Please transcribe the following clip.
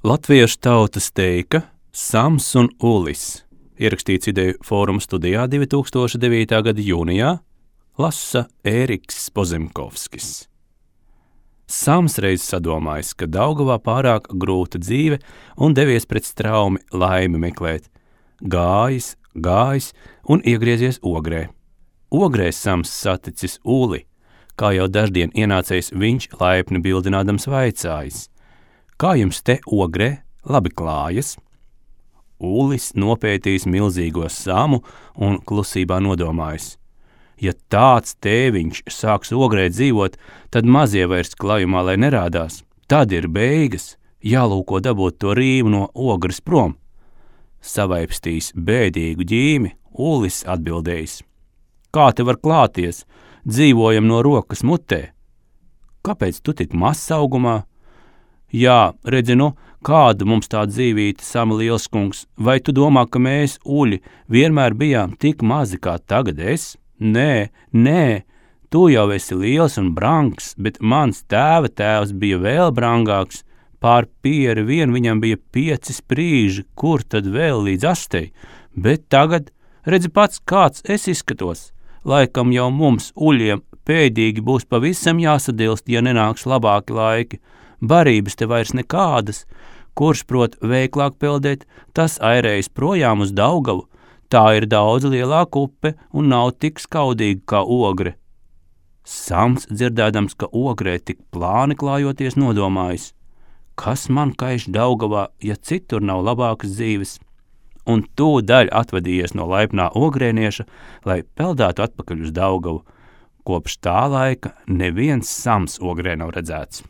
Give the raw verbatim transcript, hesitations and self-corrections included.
Latviešu tautas teika Sams un Ulis, ierakstīts Ideju fóruma studijā divi tūkstoši devītā gada jūnijā, lasa Ēriks Pozemkovskis. Sams reiz sadomājis, ka Daugavā pārāk grūta dzīve un devies pret straumi laimi meklēt. Gājis, gājis un iegriezies Ogrē. Ogrē Sams saticis Uli, kā jau daždien ienācējs viņš laipni bildinādams vaicājis: kā jums te Ogrē labi klājas? Ulis nopētījis milzīgo Samu un klusībā nodomājis: ja tāds tēviņš sāks Ogrē dzīvot, tad mazie vairs klājumā, lai nerādās. Tad ir beigas, jālūko dabūt to rīmu no Ogres prom. Savaipstījis bēdīgu ģīmi, Ulis atbildējis: kā te var klāties, dzīvojam no rokas mutē. Kāpēc tu tik mazs augumā? Jā, redzi, nu, kāda mums tā dzīvīte, Sama lielskungs, vai tu domā, ka mēs, Uļi, vienmēr bijām tik mazi kā tagad es? Nē, nē, tu jau esi liels un brangs, bet mans tēva tēvs bija vēl brangāks. Pār pieri vien viņam bija pieci sprīži, kur tad vēl līdz astei. Bet tagad, redzi pats, kāds es izskatos. Laikam jau mums, Uļiem, pēdīgi būs pavisam jāsadilst, ja nenāks labāki laiki. Barības te vairs nekādas. Kurš prot veiklāk peldēt, tas airējas projām uz Daugavu. Tā ir daudz lielāka upe un nav tik skaudīga kā Ogre. Sams, dzirdēdams, ka Ogrē tik plāni klājoties, nodomājis: kas man kaiš Daugavā, ja citur nav labākas dzīves? Un tūdaļ atvadījies no laipnā ogrēnieša, lai peldētu atpakaļ uz Daugavu. Kopš tā laika neviens Sams Ogrē nav redzēts.